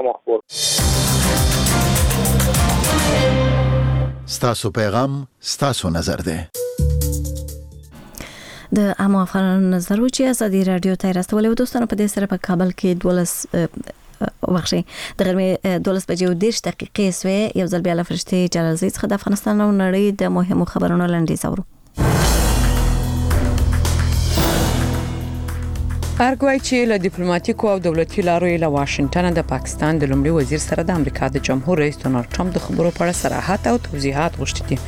اخبار. ستاسو پیغام ستاسو نظر دی. د عامو افغانانو نظر و چې ازادي راډیو ته راستولې و. دوستانو، په دې سره په کابل کې 12 وبخښئ، د غرمې 12:30 سوې. یو ځل بیا له فرشتې جلالزۍ څخه د افغانستان او نړۍ د مهمو خبرونو لنډیز اورو. ارګ وايي چې له دیپلوماتیکو او دولتي لارو یې له واشنګټنه د پاکستان د لومړي وزیر سره د امریکا د جمهور رئیس ډونالد ټرمپ د خبرو په اړه صراحت او توضیحات غوښتي دي.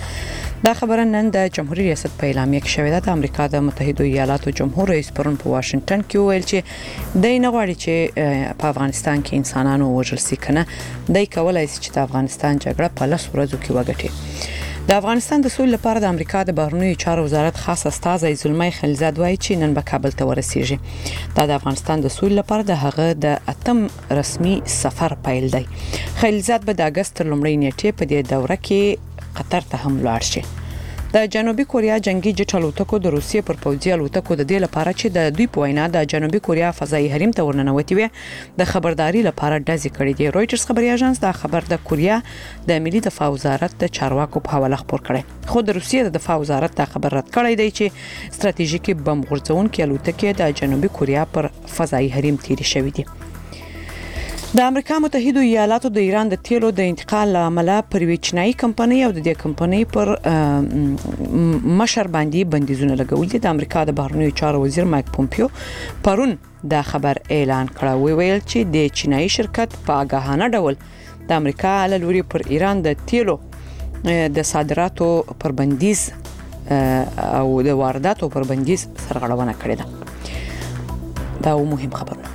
دا خبره نن د جمهوري ریاست په اعلامیه کې شوې ده. د امریکا د متحدو ایالاتو جمهور رئیس پرون په واشنګټن کې وویل چې دی نه غواړي چې په افغانستان کې انسانان ووژل شي، کنه دی کولای شي چې د افغانستان جګړه په 10 ورځو کې وګټي. د افغانستان د سولې لپاره د امریکا د بهرنیو چارو وزارت خاص استازی زلمی خلیلزاد وایي چې نن به کابل ته ورسیږي. دا د افغانستان د سولې لپاره د هغه د اتم رسمي سفر پیل دی. خلیلزاد به د اګست تر لومړۍ نیټې په دې دوره کې قطر ته هم لاړ شي. د جنوبي کوریا جنگي جټ الوتکو د روسیې پر پوځي الوتکو د دې لپاره چې د دوی په وینا د جنوبي کوریا فضایي حریم ته ورننوتې وې د خبرداري لپاره ډزې کړې دي. رویټرز خبري اژانس دا خبر د کوریا د ملي دفاع وزارت د چارواکو په حواله خپور کړی، خو د روسیې د دفاع وزارت دا خبر رد کړی دی چې ستراتیژیکې بم غورځوونکې الوتکې د جنوبي کوریا پر فضایي حریم تیرې شوې دي. د امریکا متحدو ایالاتو د ایران د تیلو د انتقال له امله پر یوې چینایي کمپنۍ او د دې کمپنۍ پر مشر باندې بندیزونه لګولي دي. د امریکا د بهرنیو چارو وزیر مایک پومپیو پرون دا خبر اعلان کړه، ویل چې د چینایي شرکت په آګاهانه ډول د امریکا له لوري پر ایران د تیلو د صادراتو پر بندیز او د وارداتو پر بندیز سرغړونه کړې ده. دا مهم خبرونه.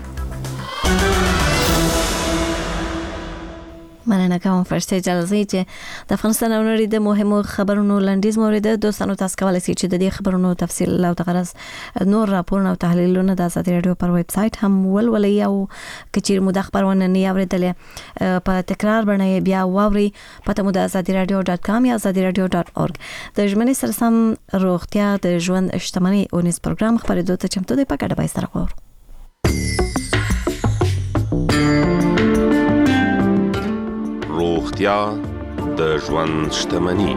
مننه کوم فرشته جلالزۍ چې د افغانستان او نړۍ د مهمو خبرونو لنډیز مو اورېده. دوستانو، تاسو کولای شئ چې د دې خبرونو تفصیل او دغه راز نور راپورونه او تحلیلونه د ازادي راډیو پر ویب سایټ هم ولولئ، او که چیرې مو دا خپرونه نه اورېدلې په تکرار بڼه یې بیا واورئ. پته مو د ازادي راډیو .com یا ازادي راډیو .org. د ژمنې سره سم روغتیا د ژوند شتمنۍ اونیز پروګرام خپرېدو ته چمتو دی، په ګډه به یې سره واورو. روغتیا د ژوند شتمني.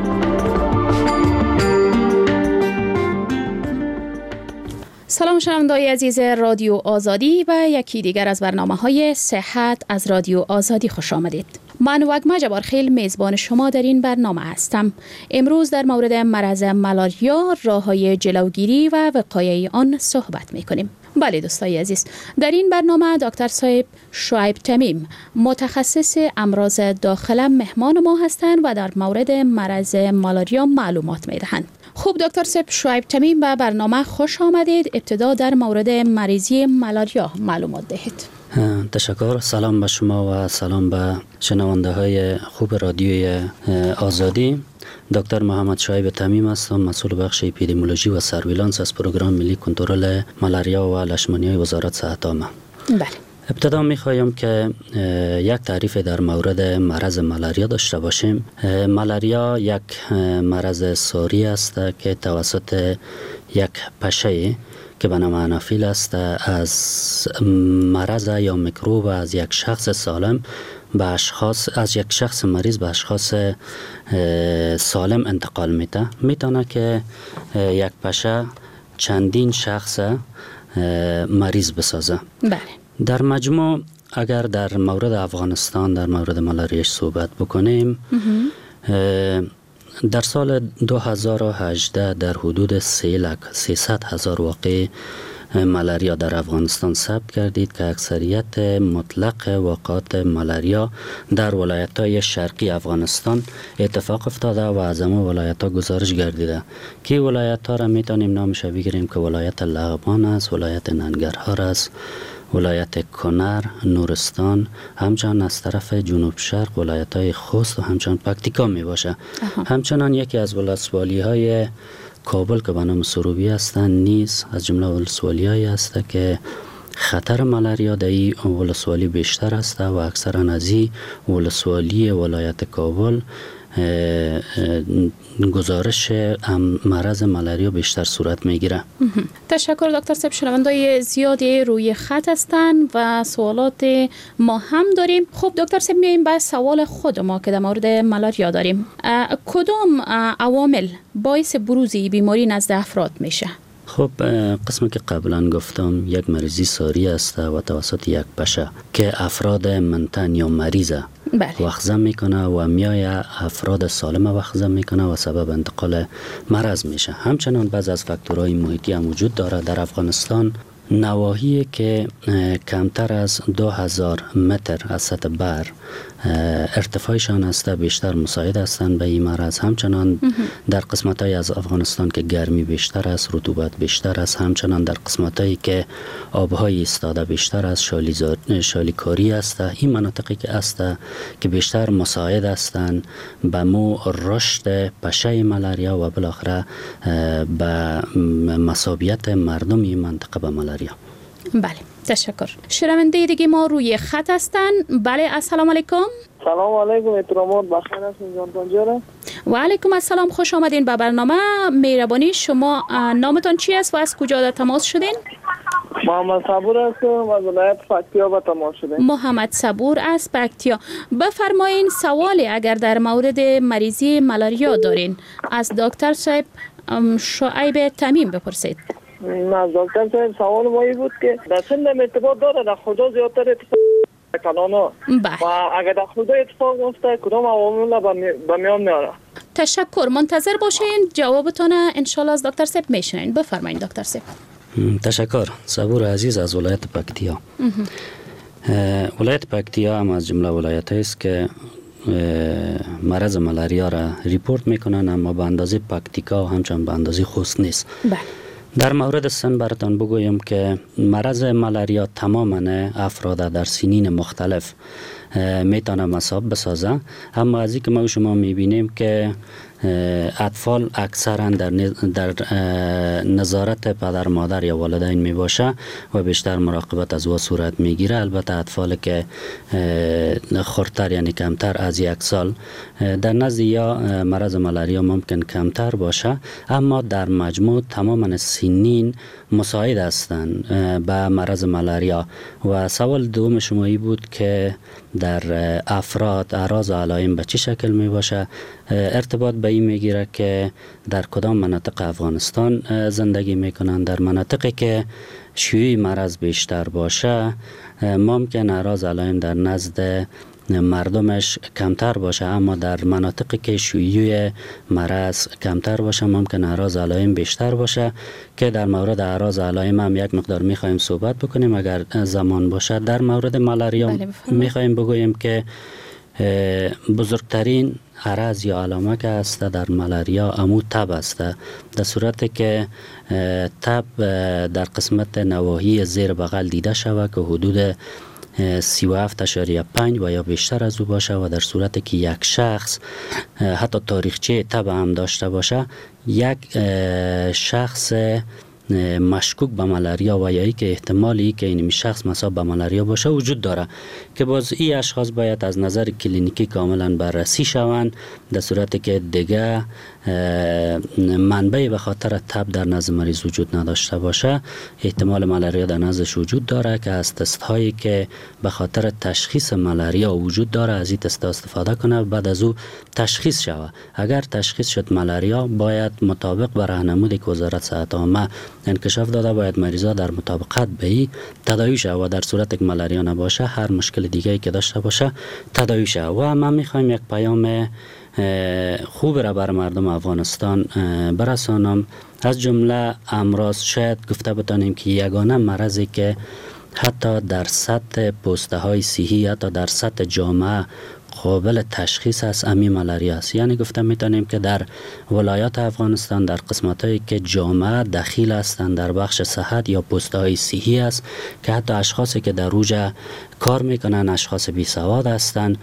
سلام شنونده‌های عزیز رادیو آزادی و یکی دیگر از برنامه‌های صحت از رادیو آزادی خوش آمدید. من وگمه جبارخیل میزبان شما در این برنامه هستم. امروز در مورد مرض ملاریا، راه‌های جلوگیری و وقایع آن صحبت می‌کنیم. بله دوستای عزیز، در این برنامه دکتر صاحب شعیب تمیم متخصص امراض داخله مهمان ما هستند و در مورد مرض مالاریا معلومات میدهند. خب دکتر صاحب شعیب تمیم، به برنامه خوش آمدید. ابتدا در مورد مریضی مالاریا معلومات دهید. تشکر. سلام به شما و سلام به شنونده های خوب رادیوی آزادی. دکتر محمد شعیب تمیم هستم، مسئول بخش اپیدمیولوژی و سرویلانس از پروگرام ملی کنترل ملاریا و لشمانیای وزارت صحت عامه. بله. ابتدا می‌خوایم که یک تعریف در مورد مرض ملاریا داشته باشیم. ملاریا یک مرض ساری است که توسط یک پشه که به نام انافیل است از مرض یا میکروب از یک شخص سالم به اشخاص، از یک شخص مریض به اشخاص سالم انتقال میده. میتونه که یک پشه چندین شخص مریض بسازه. بله. در مجموع اگر در مورد افغانستان در مورد ملاریا صحبت بکنیم، در سال 2018 در حدود 300,000 واقع ملاریا در افغانستان ثبت کردید که اکثریت مطلق واقعات ملاریا در ولایت‌های شرقی افغانستان اتفاق افتاده و از همه ولایت‌ها گزارش گردیده که ولایت‌ها را می‌تونیم نامش بگیریم که ولایت لغمان است، ولایت ننگرهار است، ولایت کنر، نورستان، همچنان از طرف جنوب شرق ولایت‌های خوست و همچنان پکتیکا می‌باشه. همچنان یکی از ولسوالی‌های کابل که به نام سروبی هستند نیز از جمله ولسوالی‌هایی است که خطر ملاریا در این ولسوالی بیشتر است و اکثرا از این ولسوالی ولایت کابل گزارش مرض مالاریا بیشتر صورت میگیره. تشکر دکتر صاحب. شنوندای زیادی روی خط هستند و سوالات ما هم داریم. خب دکتر صاحب، میایم به سوال خود ما که در مورد مالاریا داریم. کدام عوامل باعث بروز بیماری نزد افراد میشه؟ خب قسمی که قبلا گفتم، یک مریضی ساری است و توسط یک پشه که افراد منتن یا مریض وخزه میکنه و میای افراد سالم وخزه میکنه و سبب انتقال مرض میشه. همچنان بعض از فاکتورهای محیطی هم وجود داره. در افغانستان نواحی که کمتر از 2000 متر از سطح بحر ارتفاعشان است بیشتر مساعد هستند به این مرض. همچنان در قسمت های از افغانستان که گرمی بیشتر است، رطوبت بیشتر است، همچنان در قسمت هایی که آبهای ایستاده بیشتر است، شالیکاری است، این مناطقی که است که بیشتر مساعد هستند به مو رشد پشه مالاریا و بالاخره به مصابیت مردم این منطقه به مالاریا. بله، تشکر. شنونده دیگه ما روی خط هستن. بله، السلام علیکم. سلام علیکم، احترامات بخیر هستین جان پنجره. و علیکم السلام، خوش آمدین به برنامه. مهربانی شما، نامتان چی است و از کجا در تماس شدین؟ محمد صبور هستم، از ولایت پکتیا به تماس شدیم. محمد صبور از پکتیا. بفرمایین، سوالی اگر در مورد مریضی مالاریا دارین از دکتر صاحب شعیب تمیم بپرسید. از دکتر صاحب سوال ما این بود که در سن ارتباط داره، در خدا زیادتر اتفاق کلانا و اگر در خدا اتفاق میفته کدام عوامل به میان میاره؟ تشکر، منتظر باشین جوابتان انشالله از دکتر صاحب میشنین. بفرمایید دکتر صاحب. تشکر. صبور عزیز از ولایت پکتیا. ولایت پکتیا هم از جمله ولایت است که مرض مالاریا را report میکنن، اما به اندازه پکتیکا و همچنان به اندازه خوست نیست. بله. در مورد سن براتان بگویم که مرض مالاریا تماما افراد در سنین مختلف میتونه مصاب بسازه، اما از اینکه ما شما میبینیم که اطفال اکثرا در نظارت پدر مادر یا والدین می باشه و بیشتر مراقبت از او صورت میگیره. البته اطفال که خردتر یعنی کمتر از 1 سال در نزد یا مرض مالاریا ممکن کمتر باشه، اما در مجموع تماما سنین مساعد هستند به مرض مالاریا. و سوال دوم شما ای بود که در افراد اعراض و علائم به چه شکل می باشه؟ ارتباط به این میگیره که در کدام مناطق افغانستان زندگی میکنن. در مناطقی که شیوع مرض بیشتر باشه ممکن اعراض علائم در نزد مردمش کمتر باشه، اما در مناطقی که شیوع مرض کمتر باشه ممکن اعراض علائم بیشتر باشه که در مورد اعراض علائم هم یک مقدار میخوایم صحبت بکنیم اگر زمان باشه. در مورد مالاریا میخوایم بگوییم که بزرگترین عرض یا علامه که است در مالاریا امو تب است. در صورت که تب در قسمت نواحی زیر بغل دیده شود که حدود 37.5 و یا بیشتر از او باشه و در صورت که یک شخص حتی تاریخچه تب هم داشته باشه، یک شخص مشکوک به مالاریا و یا که احتمالی که این شخص مصاب به مالاریا باشه وجود داره که باز این اشخاص باید از نظر کلینیکی کاملا بررسی شوند. در صورتی که دیگه منبع به خاطر تب در نزد مریض وجود نداشته باشه احتمال مالاریا در نزدش وجود داره که از تست هایی که به خاطر تشخیص مالاریا وجود داره از این تست استفاده کنه، بعد از او تشخیص شود. اگر تشخیص شد مالاریا باید مطابق به راهنمودی که وزارت صحت عامه انکشاف داده باید مریضا در مطابقت به این تداوی شود و در صورت که مالاریا نباشه هر مشکل دیگه که داشته باشه تداوی شود. و ما میخوایم یک پیام خوب را بر مردم افغانستان برسانم. از جمله امراض شاید گفته بتانیم که یگانه مرضی که حتی در سطح پوسته های صحی حتی در سطح جامعه قابل تشخیص است امی مالاریا است. یعنی گفته میتونیم که در ولایات افغانستان در قسمت هایی که جامعه دخیل هستند در بخش صحت یا پوسته های صحی است که حتی اشخاصی که در روجه کار میکنن اشخاص بی سواد هستند،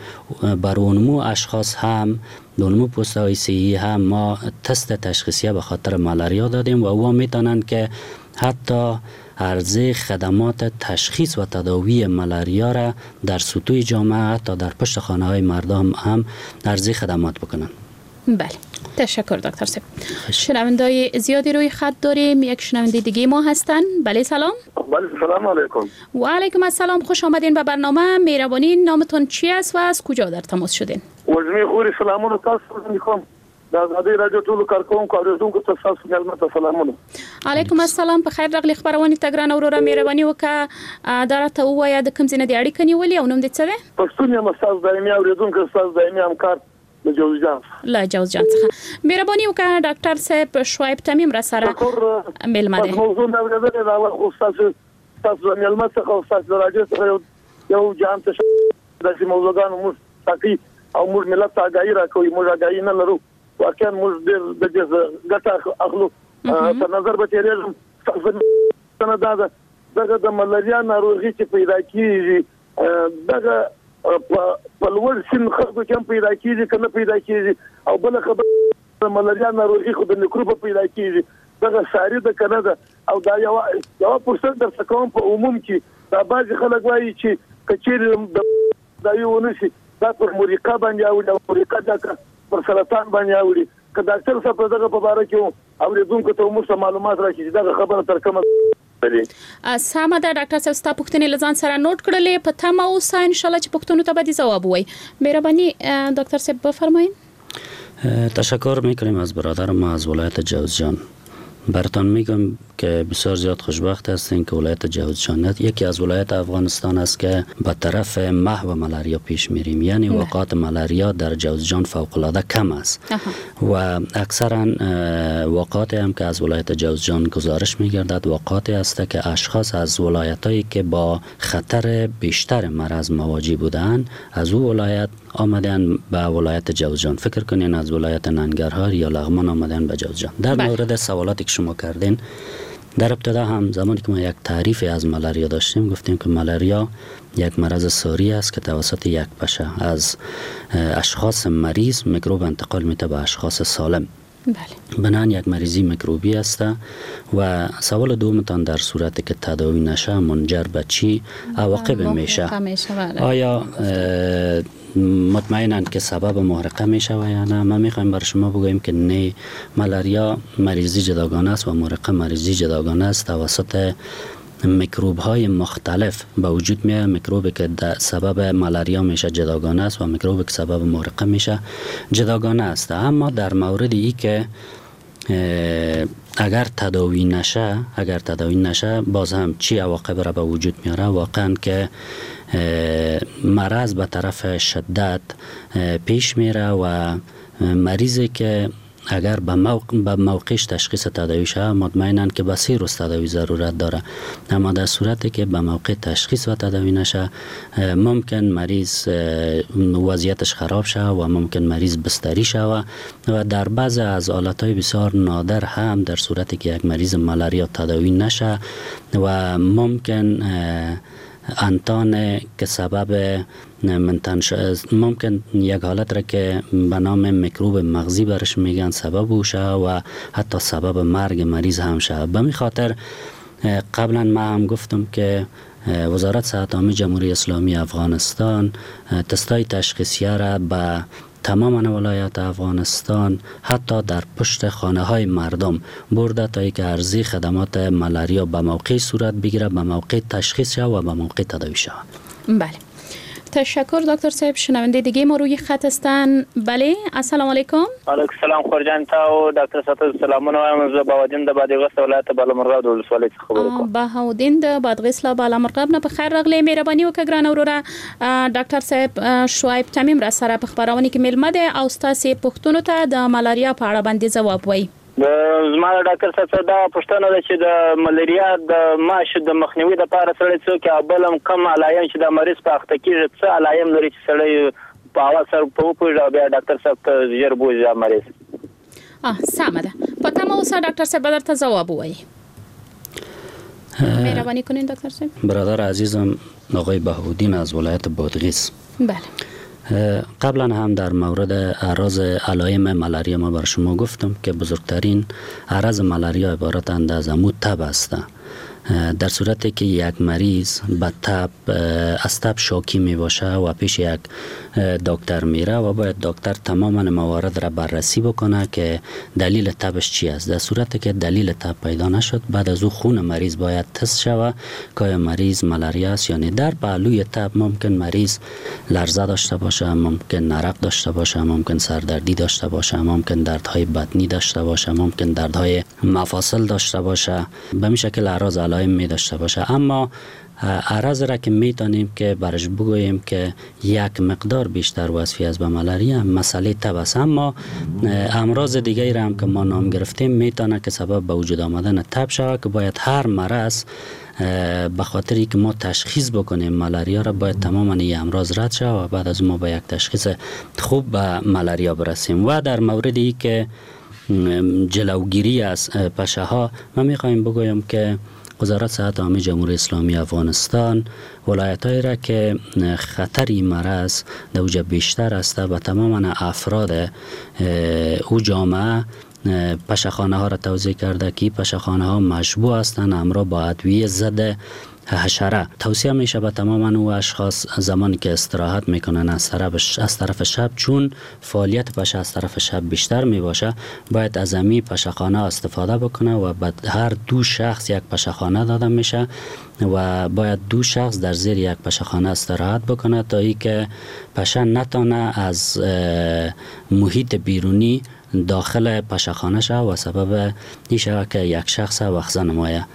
بر اونمو اشخاص هم دونمو پوسته های صحی هم ما تست تشخیصیه به خاطر مالاریا دادیم و او میتونن که حتی عرضه خدمات تشخیص و تداوی ملاریا را در سطوح جامعه تا در پشت خانه های مردم هم عرضه خدمات بکنن. بله، تشکر دکتر صاحب. شنوندای زیادی روی خط داریم. یک شنونده دیگه ما هستن. بله سلام. بله سلام علیکم. و علیکم السلام، خوش آمدین به برنامه. مهربانی نامتون چی است و از کجا در تماس شدین؟ وزمی خوری سلامونه تاسو ته میخوام. د ازادي رادیو ټولو کارکوونکو اورېدونکو ته ستاسو مېلمه ته سلامونه. علیکم السلام، په خیر راغلی خپرونې ته ګرانه وروره. مهرباني وکړه دا راته ووایه د کوم ځای نه دې اړیکه نیولې او نوم دې څه دی؟ پښتون یم، ستاسو دایمي اورېدونکی، ستاسو دایمي همکار له جوزجان. له جوزجان څخه. مهرباني وکړه ډاکټر صاحب شعیب تمیم را سره مېلمه دی. موضوع مې اورېدلې ده، خو ستاسو د مېلمه څخه او ستاسو د راډیو څخه یو جهان ته داسې موضوعګانو موږ ټاکي او موږ ملت ته آګاهي راکوي. موږ آګاهي نه لرو، واقعا موږ ډېر د دې ګټه اخلو. په نظر به تېرېږم. ستاسو دا ده دغه د ملاریا ناروغي چې پیدا کېږي، دغه په لوړ سن خلکو کې هم پیدا کېږي که نه پیدا کېږي؟ او بله خبره، د ملاریا ناروغي خو د میکروبه پیدا کېږي، دغه ساري ده که نه ده؟ او دا یوه پوښتنه درڅخه کوم، په عموم کې دا بعضې خلک وایي چې که چېرې تداوي ونه شي دا پر مریقه باندې اوړي او مریقه دا که پر سرطان باندې اوړي. که ډاکټر صاحب په دغه په باره کې اورېدونکو ته موږ ته معلومات راکړي چې دغه خبره تر کومه سمه ده. ډاکټر صاحب ستا پوښتنې له ځان سره نوټ کړلې، په تمه اوسه ان شاء الله چې پوښتنو ته به دې ځواب ووایي. مهرباني دکتر صاحب بفرمایئ. تشکر میکنیم از برادر ما از ولایت جوزجان. براتان میگم که بسیار زیاد خوشبخت هستین که ولایت جوزجان یکی از ولایت افغانستان است که به طرف محو ملاریا پیش میریم، یعنی وقات ملاریا در جوزجان فوق العاده کم است و اکثرا وقاتی هم که از ولایت جوزجان گزارش میگردد وقاتی است که اشخاص از ولایتایی که با خطر بیشتر مرض مواجه بودند از او ولایت آمدن به ولایت جوزجان. فکر کنین از ولایت ننگرهار یا لغمان آمدن به جوزجان. در مورد سوالاتی که شما کردین، در ابتدا هم زمانی که ما یک تعریف از ملاریا داشتیم گفتیم که ملاریا یک مرض ساری است که توسط یک پشه از اشخاص مریض میکروب انتقال میده به اشخاص سالم. بله. بنابراین یک مریضی میکروبی است. و سوال دومتان در صورت که تداوی نشه منجر به چی عواقب میشه؟ آیا مطمئناً که سبب محرقه میشه و یا نه؟ ما میخوایم بر شما بگوییم که نه، ملاریا مریضی جداگانه است و محرقه مریضی جداگانه است. توسط میکروب های مختلف به وجود میاد. میکروبی که سبب ملاریا میشه جداگانه است و میکروبی که سبب محرقه میشه جداگانه است. اما در مورد ای که اگر تداوی نشه باز هم چی عواقب را به وجود میاره؟ واقعا که مرض به طرف شدت پیش میره و مریضی که اگر به موقعش تشخیص تداوی شه مطمئناً که به 3 روز تداوی ضرورت داره، اما در صورتی که به موقع تشخیص و تداوی نشه ممکن مریض وضعیتش خراب شه و ممکن مریض بستری شه و در بعض از حالت‌های بسیار نادر هم در صورتی که یک مریض ملاریا تداوی نشه و ممکن انتان که سبب ممکن یک حالت را که به نام میکروب مغزی برش میگن سبب شه و حتی سبب مرگ مریض هم شه. به می خاطر قبلا ما هم گفتم که وزارت صحت عامه جمهوری اسلامی افغانستان تستای تشخیصیه را به تمام ولایات افغانستان حتی در پشت خانه های مردم برده تا اینکه عرضه خدمات ملاریا به موقع صورت بگیره، به موقع تشخیص شود و به موقع تداوی شود. بله، تشکر دکتر صاحب. شنونده دیگه ما روی خط هستن. بله، السلام علیکم. علیکم السلام خورجان تا او ډاکټر صاحب سلامونه وایم. زه بهاودین د بادغیس ولایت بالامرغاب د ولسوالۍ څخه خبرې کوم. بهاودین د بادغیس له بالامرغاب نه په خیر راغلی. مهرباني وکړه ګرانه وروره. ډاکټر صاحب شعیب تمیم را سره په خپرونې کې مېلمه دی او ستاسې پوښتنو ته د ملاریا په اړه باندې ځواب وایي. زما د ډاکټر صاحب دا پوښتنه ده چې د ملاریا د ماش د مخنیوي لپاره سړی څوک او بل هم کوم علایم چې د مریض په اخته کېږي څه علایم لري چې سړی په اول سر په وپوهېږي او بیا ډاکټر صاحب ته ژر بوځي دا مریض؟ سمه ده، په تمه اوسه ډاکټر صاحب به درته ځواب ووایي. مهرباني کنین دکتر صاحب. برادر عزیزم آقای بهاودین از ولایت بادغیس. بله، قبلا هم در مورد اعراض علایم ملاریا ما بر شما گفتم که بزرگترین اعراض ملاریا عبارتند از عمود تب است. در صورتی که یک مریض به تب از تب شاکی می باشه و پیش یک دکتر میره و باید دکتر تماما موارد را بررسی بکنه که دلیل تبش چی است. در صورتی که دلیل تب پیدا نشد، بعد از او خون مریض باید تست شود که آیا مریض ملاریا است یا نه. در پهلوی تب ممکن مریض لرزه داشته باشه، ممکن نرق داشته باشه، ممکن سردردی داشته باشه، ممکن دردهای بدنی داشته باشه، ممکن دردهای مفاصل داشته باشه، به این شکل اعراض علائم می داشته باشه. اما اعراض را که میتونیم که برش بگوییم که یک مقدار بیشتر وصفی است به ملاریا، مسئله تب است. اما امراض دیگری را هم که ما نام گرفتیم میتونه که سبب به وجود آمدن تب شود که باید هر مرض به خاطری که ما تشخیص بکنیم ملاریا را باید تماما این امراض رد شود و بعد از ما به یک تشخیص خوب به ملاریا برسیم. و در مورد ای که جلوگیری از پشه ها، ما میخوایم بگویم که وزارت صحت عامه جمهوری اسلامی افغانستان ولایت‌هایی را که خطر این مرض در اوج بیشتر است و تماما افراد او جامعه پشه‌خانه ها را توزیع کرده که پشه‌خانه ها مشبوع هستند همراه با ادویه ضد حشره. توصیه میشه به تمام او اشخاص زمانی که استراحت میکنن از طرف شب، چون فعالیت پشه از طرف شب بیشتر میباشه، باید از امی پشه‌خانه استفاده بکنه و به هر دو شخص یک پشه‌خانه داده میشه و باید دو شخص در زیر یک پشه‌خانه استراحت بکنه تا اینکه پشه نتانه از محیط بیرونی داخل پشه‌خانه شود و سبب این شود که یک شخص وخزه نمایه.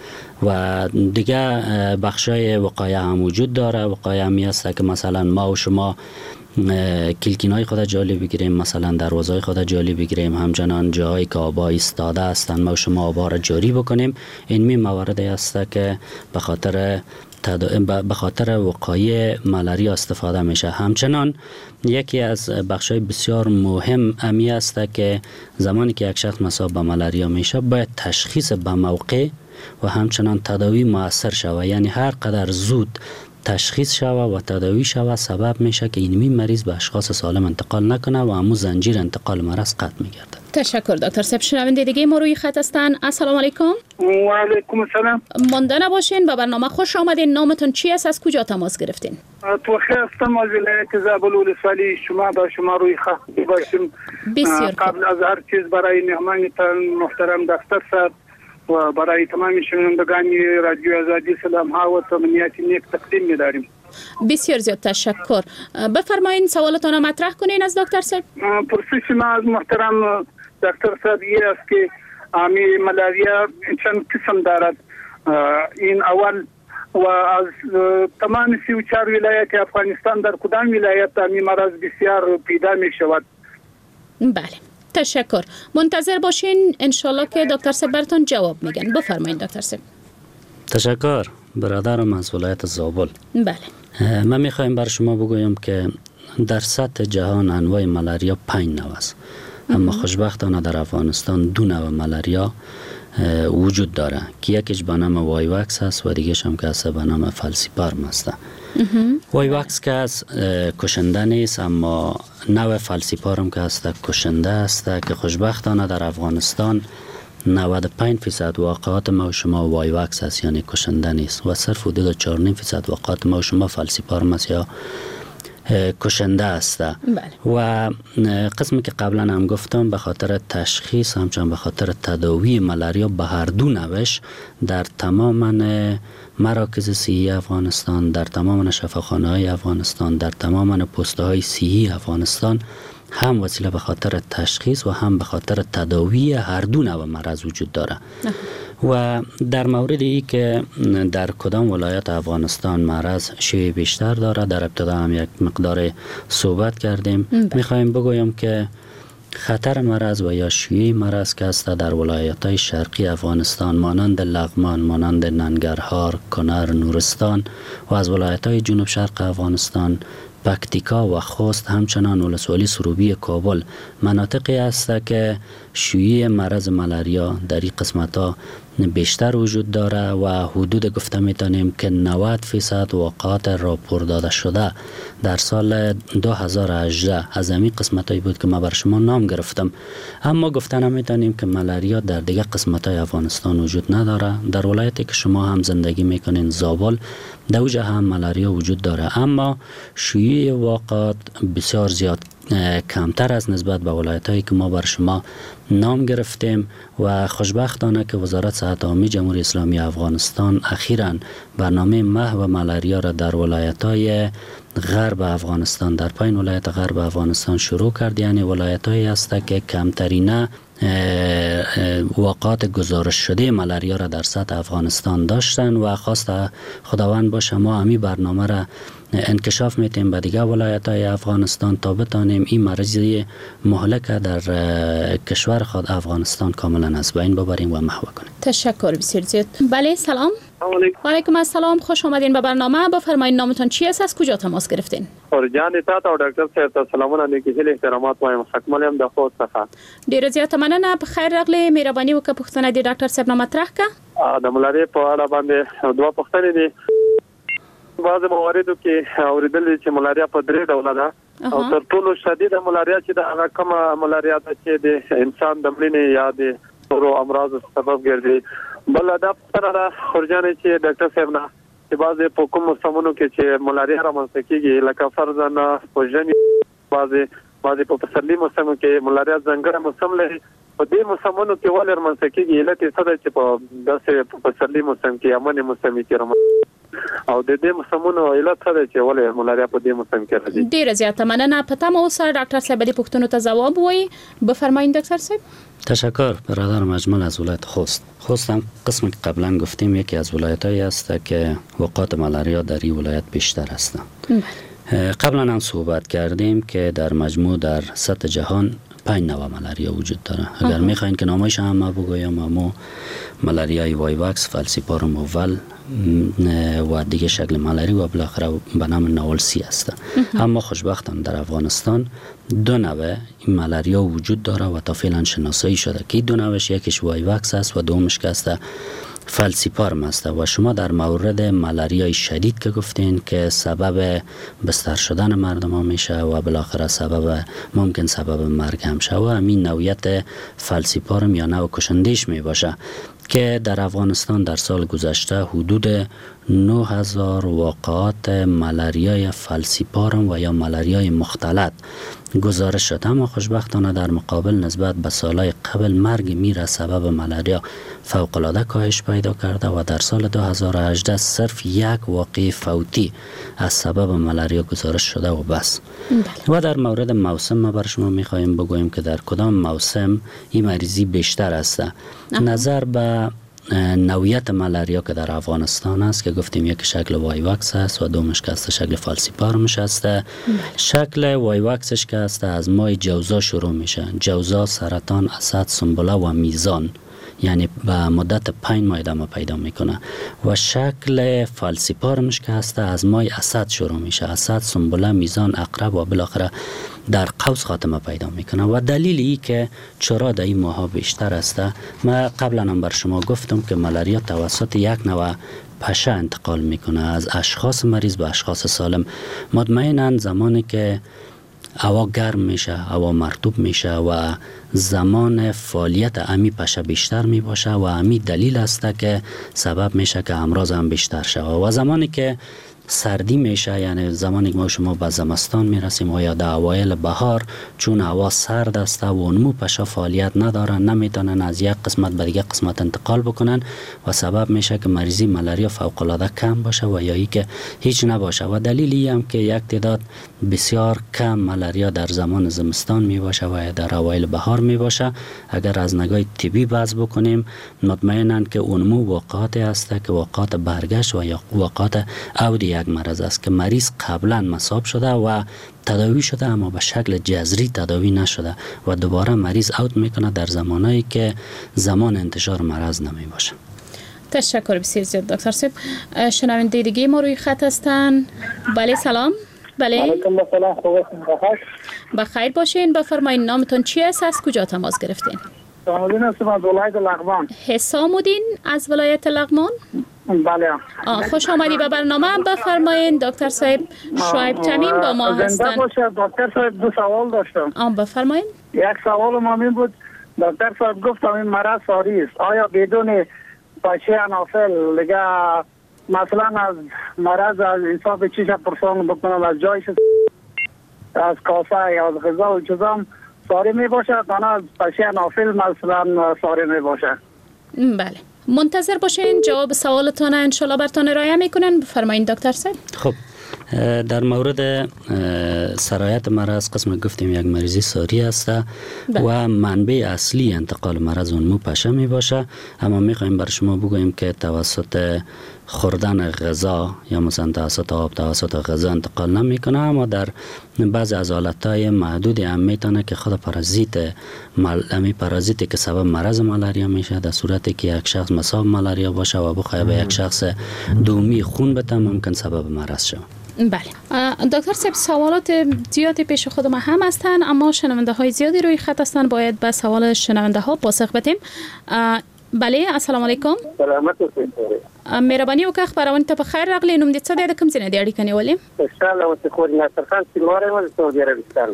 و دیگه بخشای وقایع هم وجود داره. وقایع همی است که مثلا ما و شما کلکین های خود جالی بگیریم، مثلا دروازه خود جالی بگیریم، همچنان جاهایی که آبا ایستاده هستند ما و شما آبا را جاری بکنیم. این می موارد است که به خاطر وقایع ملاریا استفاده میشه. همچنان یکی از بخش‌های بسیار مهم امی است که زمانی که یک شخص مصاب به ملاریا میشه باید تشخیص به موقع و همچنان تداوی مؤثر شود. یعنی هر قدر زود تشخیص شود و تداوی شود سبب میشه که اینمی مریض به اشخاص سالم انتقال نکنه و همو زنجیر انتقال مرض قطع میگرده. تشکر دکتر صاحب. شنونده دیگه ما روی خط هستن. السلام علیکم. و علیکم السلام. مانده نباشین، به برنامه خوش آمدین. نامتون چی است، از کجا تماس گرفتین؟ توخی هستم از ولایت زابل ولسوالی. شما با شما روی خط باشیم. بسیار قبل از هر چیز برای مهمانتان محترم دکتر صاحب و برای تمام شنوندگان رادیو آزادی سلام ها و تمنیات نیک تقدیم می‌داریم. بسیار زیاد تشکر. بفرمایین سوالتان را مطرح کنین از دکتر صاحب. پرسش ما از محترم دکتر صاحب این است که امی ملاریا چند قسم دارد. این اول و از تمام 34 ولایت افغانستان در کدام ولایت امی مرض بسیار پیدا می شود؟ بله تشکر. منتظر باشین انشالله که دکتر صاحب براتون جواب میگن. بفرمایین دکتر صاحب. تشکر برادرم از ولایت زابل. بله من میخوایم بر شما بگویم که در سطح جهان انواع ملاریا 5 نوع است، اما خوشبختانه در افغانستان 2 نوع ملاریا وجود داره که یکیش به نام وایواکس است و دیگه‌ش هم که است به نام فالسیپارم است. وایواکس که است کشنده نیست، اما نوع فالسیپارم که است کشنده است که خوشبختانه در افغانستان 95% واقعات ما و شما وایواکس است، یعنی کشنده نیست، و صرف حدود 4.5% واقعات ما و شما فالسیپارم است یا کشنده است. بله. و قسمی که قبلا هم گفتم به خاطر تشخیص همچنان به خاطر تداوی ملاریا به هر دو نوش در تمام مراکز صحی افغانستان، در تمام شفاخانه های افغانستان، در تمام پست های صحی افغانستان هم وسیله به خاطر تشخیص و هم به خاطر تداوی هر دو نوع مرض وجود داره. و در مورد ای که در کدام ولایت افغانستان مرض شیوع بیشتر داره در ابتدا هم یک مقدار صحبت کردیم. میخوایم بگویم که خطر مرض و یا شیوع مرض که است در ولایت‌های شرقی افغانستان مانند لغمان، مانند ننگرهار، کنر، نورستان و از ولایت‌های جنوب شرق افغانستان پکتیکا و خوست، همچنان ولسوالی سروبی کابل مناطقی است که شیوع مرض ملاریا در این قسمت‌ها بیشتر وجود داره و حدود گفته میتونیم که 90% واقعات راپور داده شده در سال 2018 از همین قسمت هایی بود که ما بر شما نام گرفتم. اما گفته نمیتونیم که ملاریا در دیگه قسمت های افغانستان وجود نداره. در ولایتی که شما هم زندگی میکنین زابل، در اوجه هم ملاریا وجود داره، اما شیوع واقعات بسیار زیاد کمتر از نسبت به ولایت هایی که ما بر شما نام گرفتیم. و خوشبختانه که وزارت صحت عامه جمهوری اسلامی افغانستان اخیراً برنامه محو ملاریا را در ولایت های غرب افغانستان، در پایین ولایت غرب افغانستان شروع کرد. یعنی ولایت هایی هست که کمترینه واقعات گزارش شده ملاریا را در سطح افغانستان داشتن و خواست خداوند باشه ما همی برنامه را انکشاف میتیم به دیگر ولایت های افغانستان تا بتانیم این مرض مهلک در کشور خود افغانستان کاملا از بین ببریم و محو کنیم. تشکر بسیار زیاد. بله سلام. و علیکم السلام، خوش آمدین به برنامه. بفرمایید نامتان چی است، از کجا تماس گرفتین؟ جان تا ته ډاکټر صاحب ته سلامونه، نیکې هیلې احترامات وایم. حکمل یم د خوست څخه. ډیره زیاته مننه، په خیر راغلی. مهرباني وکړه پوښتنه دې ډاکټر صاحب نه مطرح که. د ملاریا په اړه باندې دوه پوښتنې دي. بعضې مواردو کې اورېدلي چې ملاریا په درې ډوله ده او تر ټولو شدیده ملاریا چې ده هغه کومه ملاریا ده چې د انسان د مړینې یا د نورو امراضو سبب ګرځي. بله دا پوښتنه ده خورجانې چې ډاکټر صاحب نه چې بعضې په کوم موسمونو کې چې ملاریا رامنځته کېږي، لکه فرضاً په ژمي، بعضې په پسرلي موسم کې ملاریا ځانګړی موسم لري، په دې موسمونو کې ولې رامنځته کېږي؟ علت یې څه دی چې په داسې په پسرلي موسم کې یا مني موسم کې رامنځته او د دې موسمونو علت څه دی چې ولې ملاریا په دې موسم کې راځي؟ ډیره زیاته مننه. په تمه اوسه ډاکټر صاحب دې پوښتنو ته ځواب ووایي. بفرمایید دکتر صاحب. تشکر برادر مجمل از ولایت خوست. خوست هم قسم که قبلا گفتیم یکی از ولایت‌هایی است که وقات ملاریا در این ولایت بیشتر است. قبلا هم صحبت کردیم که در مجموع در سطح جهان 5 نوع ملاریا وجود داره. اگر میخواین که نامایش هم ما بگویم، امو ملاریای وایواکس، فالسیپاروم اول و دیگه شکل ملاری و بالاخره به نام ناولسی است. اما خوشبختانه در افغانستان دو نوع این ملاریا وجود داره و تا فعلا شناسایی شده که دو نوعش یکیش وایواکس است و دومش که است فالسیپارم است. و شما در مورد ملاریای شدید که گفتین که سبب بستر شدن مردم ها میشه و بالاخره سبب ممکن سبب مرگ هم شه و همین نوعیت فالسیپارم یا نوع کشندیش می باشه که در افغانستان در سال گذشته حدود 9000 واقعات ملاریای فالسیپارم و یا ملاریای مختلط گزارش شد. اما خوشبختانه در مقابل نسبت به سالهای قبل مرگ میر از سبب ملاریا فوق‌العاده کاهش پیدا کرده و در سال 2018 صرف یک واقعه فوتی از سبب ملاریا گزارش شده و بس. و در مورد موسم ما بر شما میخواهیم بگوییم که در کدام موسم این مریضی بیشتر است. نظر به نوعیت ملاریا که در افغانستان است که گفتیم یک شکل وایواکس است و دومش که است شکل فالسیپارمش است. شکل وایواکسش که است از ماه جوزا شروع میشه، جوزا، سرطان، اسد، سنبله و میزان، یعنی به مدت 5 ماه ادامه پیدا میکنه. و شکل فالسیپارمش که هست از ماه اسد شروع میشه، اسد، سنبله، میزان، عقرب و بالاخره در قوس خاتمه پیدا میکنه. و دلیل ای که چرا در این ماها بیشتر است، ما قبلا هم بر شما گفتم که ملاریا توسط یک نوع پشه انتقال میکنه از اشخاص مریض به اشخاص سالم. مطمئنا زمانی که هوا گرم میشه، هوا مرطوب میشه و زمان فعالیت امی پشه بیشتر میباشه و امی دلیل است که سبب میشه که امراض هم بیشتر شوه. و زمانی که سردی میشه، یعنی زمانی که ما شما به زمستان میرسیم و یا در اوایل بهار، چون هوا سرد است و اونمو پشه فعالیت ندارن، نمیتونن از یک قسمت به دیگه قسمت انتقال بکنن و سبب میشه که مریضی ملاریا فوق العاده کم باشه و یا ای که هیچ نباشه. و دلیلی هم که یک تعداد بسیار کم ملاریا در زمان زمستان میباشه و در اوایل بهار میباشه، اگر از نگاه طبی بحث بکنیم مطمئنا که اونمو واقعات است که واقعات برگشت و یا واقعات عود یک مرض است که مریض قبلا مصاب شده و تداوی شده اما به شکل جذری تداوی نشده و دوباره مریض اوت میکنه در زمانایی که زمان انتشار مرض نمی باشه. تشکر بسیار زیاد دکتر صاحب. شنونده دیگه ما روی خط هستن. بله سلام. بله علیکم السلام، خوب هستین؟ بخیر باشین. بفرمایید نامتون چی است، از کجا تماس گرفتین؟ حسام الدین هستم از ولایت لغمان. حسام الدین از ولایت لغمان؟ بله. خوش آمدی به برنامه. بفرمایین دکتر صاحب شعیب تمیم با ما هستند. زنده باشه دکتر صاحب. دو سوال داشتم. بفرمایین. یک سوال ما این بود، دکتر صاحب گفتم این مرض ساری است، آیا بدون پشه انافل دیگه مثلا از مرض از حساب چیش پرسان بکنم، از جایش از کاسه یا از غذا و چیزام ساری می باشه، تنها از پشه انافل مثلا ساری می باشه؟ بله، منتظر باشین جواب سوالتان انشالله برتان ارائه میکنن. بفرمایین دکتر صاحب. خب در مورد سرایت مرض قسم گفتیم یک مریضی ساری است و منبع اصلی انتقال مرض اون مو پشه می باشه، اما می خواهیم بر شما بگوییم که توسط خوردن غذا یا مثلا توسط آب، توسط غذا انتقال نمیکنه، اما در بعضی از حالتهای محدود هم میتونه که خود پارازیت پارازیتی که سبب مرض مالاریا میشه، در صورتی که یک شخص مصاب مالاریا باشه و بخواه به یک شخص دومی خون بده ممکن سبب مرض شود. بله دکتر صاحب، سوالات زیادی پیش خود ما هم هستن، اما شنونده های زیادی روی خط هستن، باید به سوال شنونده ها پاسخ بدیم. بله السلام علیکم. سلامت اوسئ. مهرباني وکړه خپرونې ته په خیر راغلې. نوم دې څه دی، د کوم ځای نه دې اړیکه نیولې؟ خوشحاله اوسې خورې. ناصر خان شینواری یم له سعودي عربستان.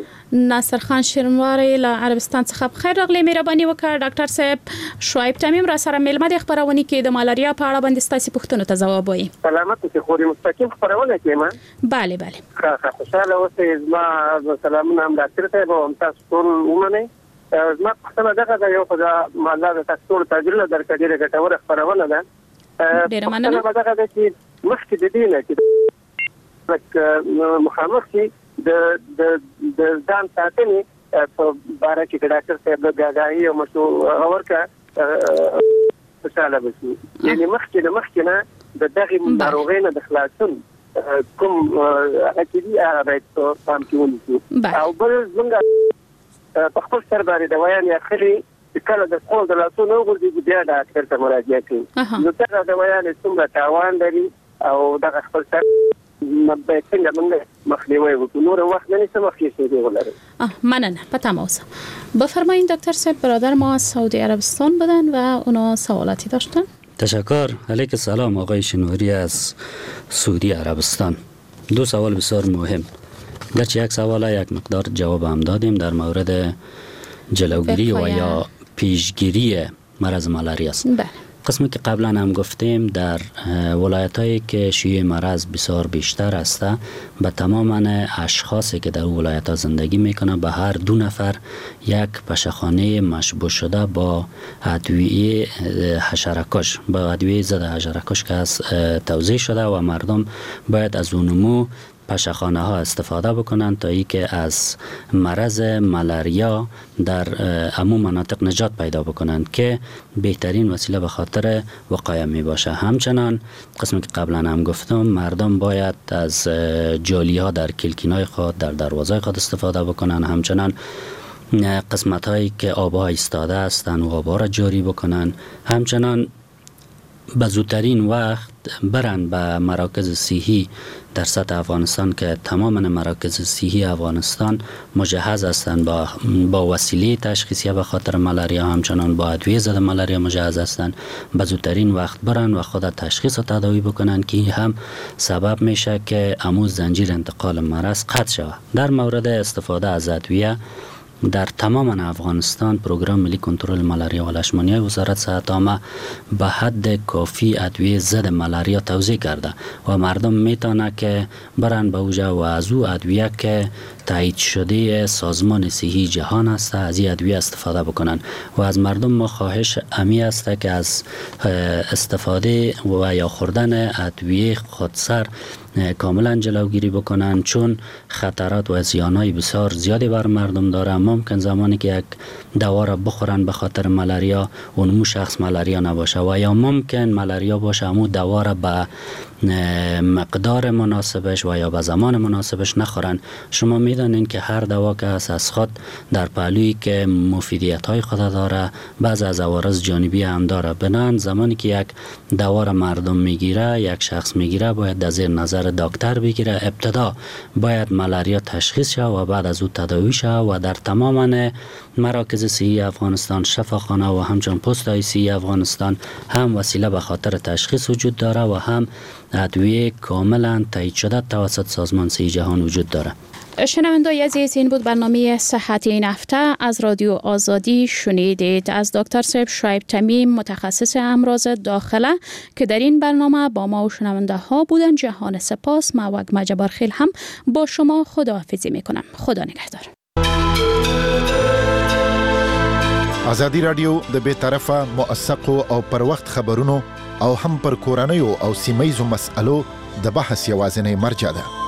ناصر خان شینواری له عربستان څخه په خیر راغلې. مهرباني وکړه ډاکټر صاحب شعیب تمیم را سره مېلمه دی خپرونې کې د مالاریا په اړه باندې ستاسې پوښتنو ته ځواب وایي. سلامت اوسې خورې. مستقیم خپرونه کې یم. بله بله. ښه خوشحاله اوسې. زما سلامونه هم ډاکټر صاحب او هم تاسو ټول ومنئ. زما پوښتنه دغه ده، یو خو دا الله د تاسو ټولو ته اجرونه درکړي، ډېره ګټوره خپرونه ده. ډېره مننه. پوښتنه دغه ده چې مخکې د دې نه چې مخامخ شي د ځان ساتنې په باره کې که ډاکټر صاحب لږ آګاهي او مشوره ورکړه خوشحاله به شو. یعنې مخکې له مخکې نه د دغې ناروغۍ نه د خلاصون کوم هغه چې دي هغه باید په پام کې ونیسو. او بل زمونږ په خپل سر باندې دوایانې اخلي چې کله د خپل د لاسونو وغورځېږي بیا ډاکټر ته مراجعه کوي، نو دغه دوایانې څومره تاوان لري او دغه خپل سر باید څنګه موږ مخنیوی وکړو؟ نور وخت نه نیسم، ښې شیبې ولرئ. مننه، په تمه اوسه. بفرمایید دکتر صاحب، برادر ما از سعودی عربستان بودن و اونا سوالاتی داشتن. تشکر. علیک سلام آقای شینواری از سعودی عربستان. دو سوال بسیار مهم. گرچه یک سوال یک مقدار جواب هم دادیم در مورد جلوگیری و یا پیشگیری مرض مالاریا است. بله. قسمی که قبلا هم گفتیم در ولایت هایی که شیوع مرض بسیار بیشتر است به تمام اشخاصی که در ولایت ها زندگی میکنه به هر دو نفر یک پشخانه مشبوه شده با ادویه حشره‌کش، با ادویه ضد حشره‌کش که از توزیع شده و مردم باید از اونمو پشخانه ها استفاده بکنند تا اینکه از مرض مالاریا در عموم مناطق نجات پیدا بکنند که بهترین وسیله به خاطر وقایه می باشه. همچنان قسمی که قبلا هم گفتم مردم باید از جالی ها در کلکین های خود، در دروازه خود استفاده بکنند. همچنان قسمت هایی که آبها ایستاده هستند و آبها را جاری بکنند. همچنان به زودترین وقت برن به مراکز صحی در سطح افغانستان که تمام مراکز صحی افغانستان مجهز هستند با وسیله تشخیصی به خاطر مالاریا، همچنان با ادویه ضد مالاریا مجهز هستند. به زودترین وقت برن و خود تشخیص و تداوی بکنن که هم سبب میشه که امو زنجیر انتقال مرض قطع شود. در مورد استفاده از ادویه در تمام افغانستان پروگرام ملی کنترل مالاریا و لشمانیای وزارت صحت عامه به حد کافی ادویه ضد مالاریا توزیع کرده و مردم میتونه که برن به اوجا و از او ادویه که تایید شده سازمان صحی جهان است از این ادویه استفاده بکنن. و از مردم ما خواهش امی است که از استفاده و یا خوردن ادویه خودسر کاملا جلوگیری بکنن، چون خطرات و زیانهای بسیار زیادی بر مردم داره. ممکن زمانی که یک دوا را بخورن به خاطر مالاریا اونمو شخص مالاریا نباشه و یا ممکن مالاریا باشه امو دوا را به مقدار مناسبش و یا به زمان مناسبش نخورن. شما میدانین که هر دوا که از خود در پهلویی که مفیدیت های خود داره، بعض از عوارض جانبی هم داره. بنابراین زمانی که یک دوا را مردم میگیره، یک شخص میگیره، باید در زیر نظر دکتر بگیره. ابتدا باید ملاریا تشخیص شه و بعد از او تداوی شه و در تمام مراکز صحی افغانستان، شفاخانه و همچنین پست های صحی افغانستان هم وسیله به خاطر تشخیص وجود داره و هم ادویه کاملا تایید شده توسط سازمان صحی جهان وجود داره. شنوندای عزیز، این بود برنامه صحت این هفته از رادیو آزادی. شنیدید از دکتر صاحب شعیب تمیم، متخصص امراض داخله که در این برنامه با ما و شنونده ها بودن. جهان سپاس. ما وگمه جبارخیل هم با شما خداحافظی میکنم. خدا نگهدار. ازادي رادیو د بې طرفه، موثقو او پر وخت خبرونو او هم پر کورنیو او سیمه ییزو مسئلو د بحث یوازینۍ مرجع ده.